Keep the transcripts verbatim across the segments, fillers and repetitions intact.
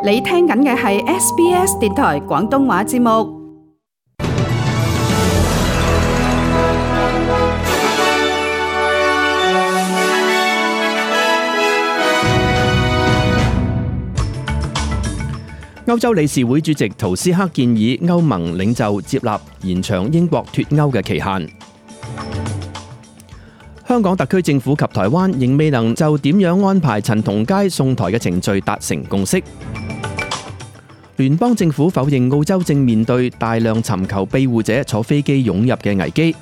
你聽緊嘅係 S B S 電台廣東話節目。歐洲理事會主席圖斯克建議歐盟領袖接納延長英國脫歐嘅期限。香港特區政府及台灣仍未能就點樣安排陳同佳送台嘅程序達成共識。聯邦政府否認澳洲正面對大量尋求庇護者坐飛機湧入嘅危機。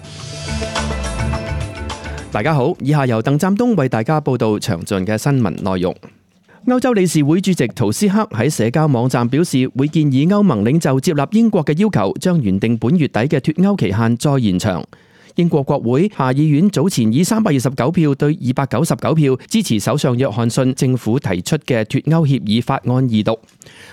大家好，以下由鄧湛東為大家報道詳盡嘅新聞內容。歐洲理事會主席圖斯克喺社交網站表示，會建議歐盟領袖接納英國嘅要求，將原定本月底嘅脫歐期限再延長。英國國會下議院早前以三百二十九票對二百九十九票支持首相約翰遜政府提出嘅脫歐協議法案二讀。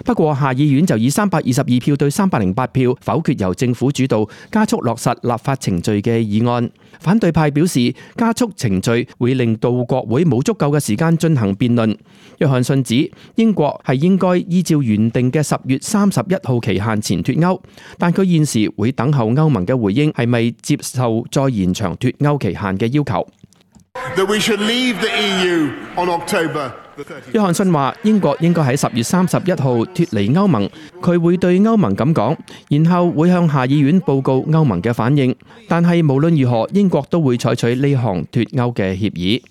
不過下議院就以三百二十二票對三百零八票否決由政府主導加速落實立法程序嘅議案。反對派表示，加速程序會令到國會冇足夠嘅時間進行辯論。約翰遜指英國係應該依照原定嘅十月三十一號期限前脫歐，但佢現時會等候歐盟嘅回應係咪接受再延長脫歐期限嘅要求。約翰遜話英國應該喺十月三十一號脫離歐盟，佢會對歐盟咁講，然後會向下議院報告歐盟嘅反應。但係無論如何，英國都會採取呢項脫歐嘅協議。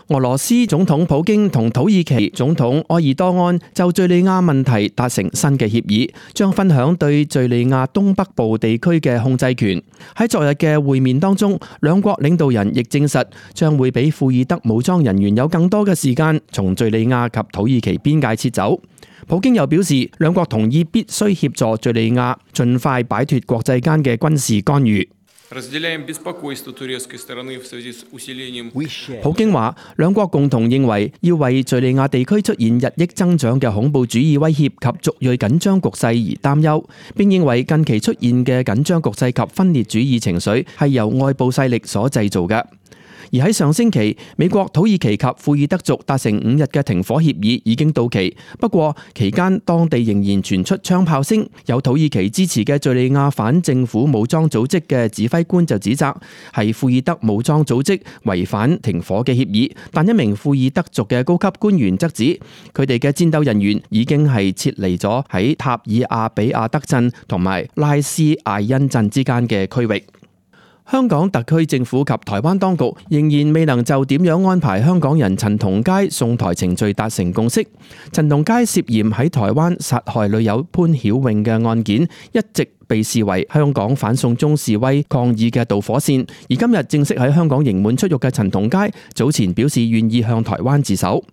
俄羅斯總統普京同土耳其總統埃爾多安就敘利亞問題達成新嘅協議，將分享對敘利亞東北部地區嘅控制權。喺昨日嘅會面當中，兩國領導人亦證實將會俾庫爾德武裝人員有更多嘅時間從敘利亞及土耳其邊界撤走。普京又表示，兩國同意必須協助敘利亞盡快擺脫國際間嘅軍事干預。普京話，兩國共同認為要為敘利亞地區出現日益增長嘅恐怖主義威脅及族裔緊張局勢而擔憂，並認為近期出現嘅緊張局勢及分裂主義情緒係由外部勢力所製造嘅。而喺上星期，美國、土耳其及庫爾德族達成五日嘅停火協議已經到期，不過期間當地仍然傳出槍炮聲。有土耳其支持嘅敘利亞反政府武裝組織嘅指揮官就指責係庫爾德武裝組織違反停火嘅協議，但一名庫爾德族嘅高級官員則指佢哋嘅戰鬥人員已經係撤離咗喺塔爾亞比亞德鎮同埋拉斯艾恩鎮之間嘅區域。香港特區政府及台灣當局仍然未能就點樣安排香港人陳同佳送台程序達成共識。陳同佳涉嫌喺台灣殺害女友潘曉穎嘅案件一直被視為香港反送中示威抗議嘅導火線，而今日正式喺香港刑滿出獄嘅陳同佳早前表示願意向台灣自首。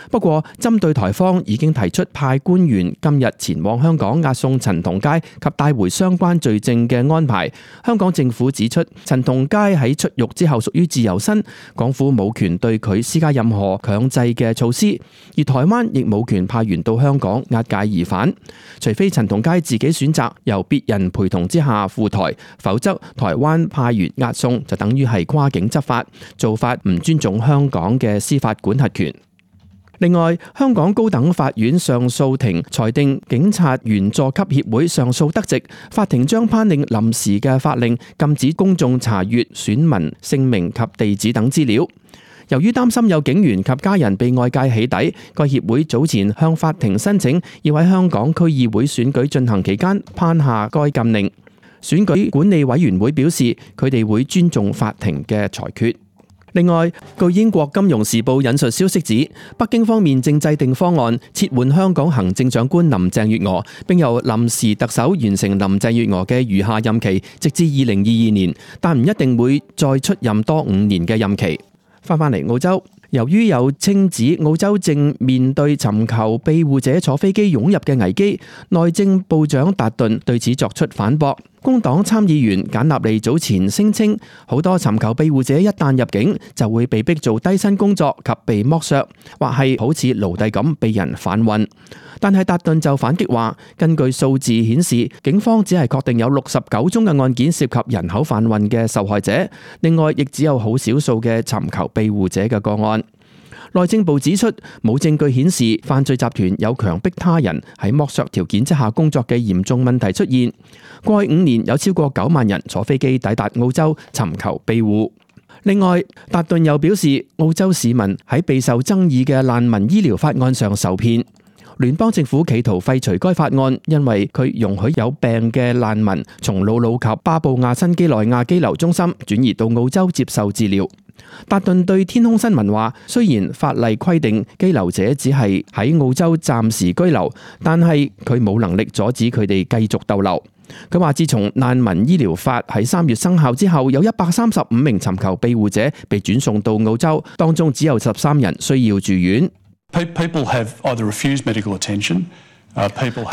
不過針對台方已經提出派官員今日前往香港押送陳同佳及帶回相關罪證嘅安排，香港政府指出陳同佳喺出獄之後屬於自由身，港府冇權對佢施加任何強制嘅措施，而台灣亦冇權派員到香港押解疑犯，除非陳同佳自己選擇由別人陪同之下赴台，否則台灣派員押送就等於係跨境執法，做法唔尊重香港嘅司法管轄權。另外，香港高等法院上訴庭裁定警察員佐級協會上訴得直，法庭將頒令臨時嘅法令，禁止公眾查閱選民姓名及地址等資料。由於擔心有警員及家人被外界起底，該協會早前向法庭申請，要喺香港區議會選舉進行期間頒下該禁令。選舉管理委員會表示，佢哋會尊重法庭嘅裁決。另外，據英國金融時報引述消息指，北京方面正制定方案撤換香港行政長官林鄭月娥，並由臨時特首完成林鄭月娥嘅餘下任期，直至二零二二年，但唔一定會再出任多五年嘅任期。翻返嚟澳洲，由於有稱指澳洲正面對尋求庇護者坐飛機湧入嘅危機，內政部長達頓對此作出反駁。工黨參議員簡納利早前聲稱，好多尋求庇護者一旦入境，就會被逼做低薪工作及被剝削，或係好似奴隸咁被人販運。但係達頓就反擊話，根據數字顯示，警方只係確定有六十九宗嘅案件涉及人口販運嘅受害者，另外亦只有好少數嘅尋求庇護者嘅個案。內政部指出，冇證據顯示犯罪集團有強迫他人喺剝削條件之下工作嘅嚴重問題出現。過去五年有超過九萬人坐飛機抵達澳洲尋求庇護。另外，達頓又表示，澳洲市民喺備受爭議嘅難民醫療法案上受騙。聯邦政府企圖廢除該法案，因為佢容許有病嘅難民從魯魯及巴布亞新幾內亞羈留中心轉移到澳洲接受治療。達頓對天空新聞話，雖然法例規定羈留者只係喺澳洲暫時居留，但係佢冇能力阻止佢哋繼續逗留。佢話自從難民醫療法喺三月生效之後，有一百三十五名尋求庇護者被轉送到澳洲，當中只有十三人需要住院。People have either refused medical attention. 達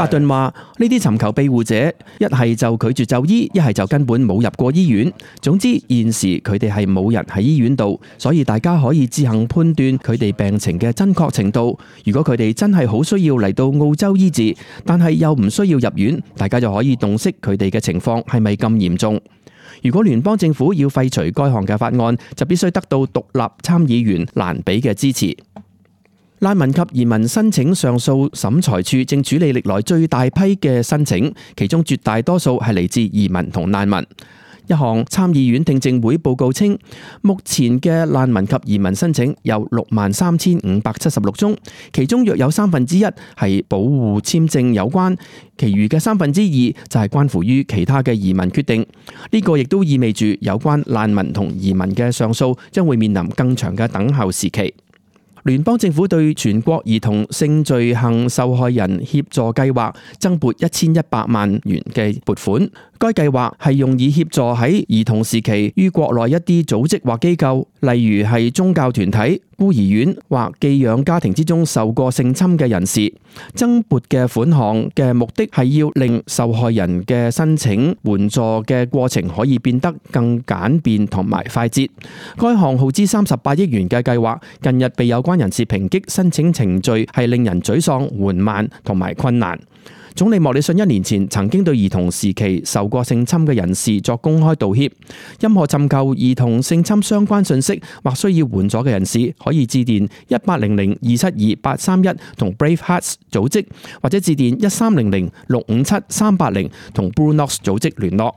頓話：呢啲尋求庇護者一係就拒絕就醫，一係就根本冇入過醫院。總之現時佢哋係冇人喺醫院度，所以大家可以自行判斷佢哋病情嘅真確程度。如果佢哋真係好需要嚟到澳洲醫治，但係又唔需要入院，大家就可以洞悉佢哋嘅情況係咪咁嚴重。如果聯邦政府要廢除該項嘅法案，就必須得到獨立參議員蘭比嘅支持。難民及移民申請上訴審裁處正處理歷來最大批嘅申請，其中絕大多數係嚟自移民同難民。一項參議院聽證會報告稱，目前嘅難民及移民申請有六萬三千五百七十六宗，其中約有三分之一係保護簽證有關，其餘嘅三分之二就係關乎於其他嘅移民決定。呢個亦都意味住有關難民同移民嘅上訴將會面臨更長嘅等候時期。聯邦政府對全國兒童性罪行受害人協助計劃增撥一千一百萬元嘅撥款。該計劃係用以協助喺兒童時期於國內一啲組織或機構，例如係宗教團體、孤兒院或寄養家庭之中受過性侵嘅人士。增撥嘅款項嘅目的係要令受害人嘅申請援助嘅過程可以變得更簡便同埋快捷。該項耗資三十八億元嘅計劃，近日被有關人士抨擊申請程序係令人沮喪、緩慢同埋困難。總理莫里遜一年前曾經對兒童時期受過性侵嘅人士作公開道歉。任何尋求兒童性侵相關信息或需要援助嘅人士，可以致電一八零零二七二八三一同 Brave Hearts 組織，或者致電一三零零六五七三八零同 Blue Nox 組織聯絡。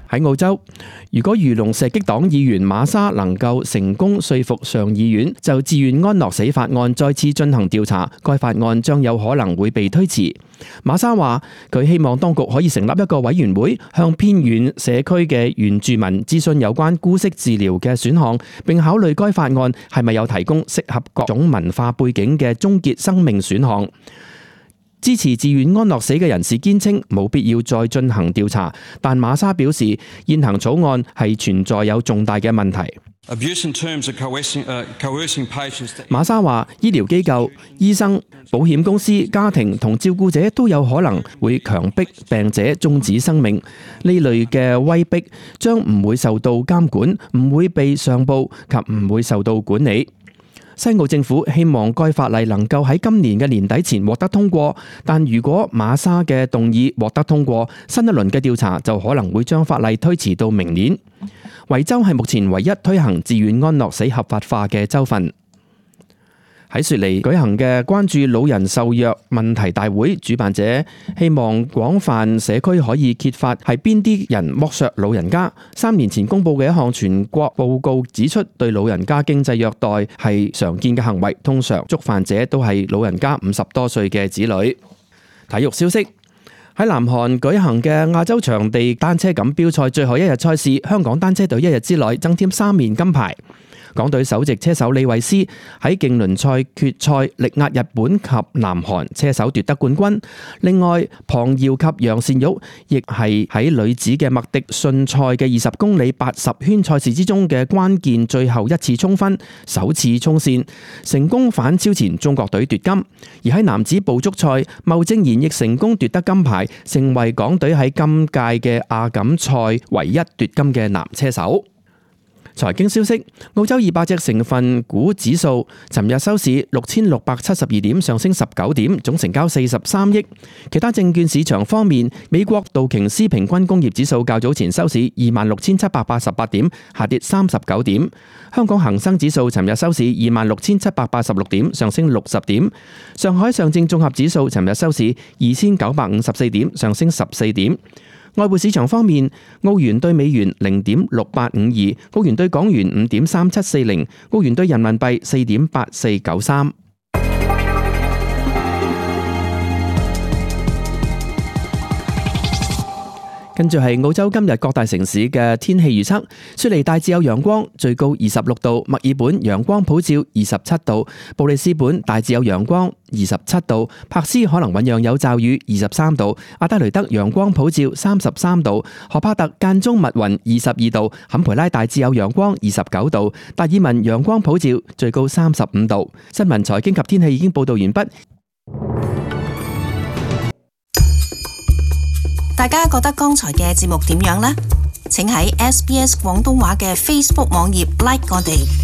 喺澳洲，如果漁農射擊黨議員馬莎能夠成功說服上議院就自願安樂死法案再次進行調查，該法案將有可能會被推遲。馬莎話佢希望當局可以成立一個委員會，向偏遠社區嘅原住民諮詢有關姑息治療嘅選項，並考慮該法案係咪有提供適合各種文化背景嘅終結生命選項。支持自願安樂死嘅人士堅稱冇必要再進行調查，但馬莎表示現行草案係存在有重大嘅問題。馬莎話醫療機構、醫生、保險公司、家庭同照顧者都有可能會強迫病者終止生命。呢類嘅威逼將唔會受到監管，唔會被上報及唔會受到管理。西澳政府希望該法例能夠喺今年嘅年底前獲得通過，但如果馬莎嘅動議獲得通過，新一輪嘅調查就可能會將法例推遲到明年。維州係目前唯一推行自願安樂死合法化嘅州份。喺雪梨舉行嘅關注老人受虐問題大會，主辦者希望廣泛社區可以揭發係邊啲人剝削老人家。三年前公布嘅一項全國報告指出，對老人家經濟虐待係常見嘅行為，通常觸犯者都係老人家五十多歲嘅子女。體育消息，喺南韓舉行嘅亞洲場地單車錦標賽最後一日賽事，香港單車隊一日之內增添三面金牌。港隊首席車手李慧詩喺競輪賽決賽力壓日本及南韓車手奪得冠軍。另外，龐瑤及楊善玉亦係喺女子嘅麥迪遜賽嘅二十公里八十圈賽事之中嘅關鍵最後一次衝分，首次衝線，成功反超前中國隊奪金。而喺男子捕捉賽，牟正賢亦成功奪得金牌，成為港隊喺今屆嘅亞錦賽唯一奪金嘅男車手。財經消息，澳洲二百隻成分股指數尋日收市六千六百七十二點，上升十九點，總成交四十三億。其他證券市場方面，美國道瓊斯平均工業指數較早前收市二萬六千七百八十八點，下跌三十九點。香港恒生指數尋日收市二萬六千七百八十六點，上升六十點。上海上證綜合指數尋日收市二千九百五十四點，上升十四點。外匯市場方面，澳元對美元零點六八五二，澳元對港元五點三七四零，澳元對人民幣四點八四九三。跟住係澳洲今日各大城市嘅天氣預測：雪梨大致有陽光，最高二十六度；墨爾本陽光普照，二十七度；布里斯本大致有陽光，二十七度；柏斯可能醞釀有驟雨，二十三度；阿德雷德陽光普照，三十三度；荷帕特間中密雲，二十二度；坎培拉大致有陽光，二十九度；達爾文陽光普照，最高三十五度。新聞財經及天氣已經報道完畢。大家覺得剛才嘅節目點樣呢？請喺 S B S 廣東話嘅 Facebook 網頁 like 我哋。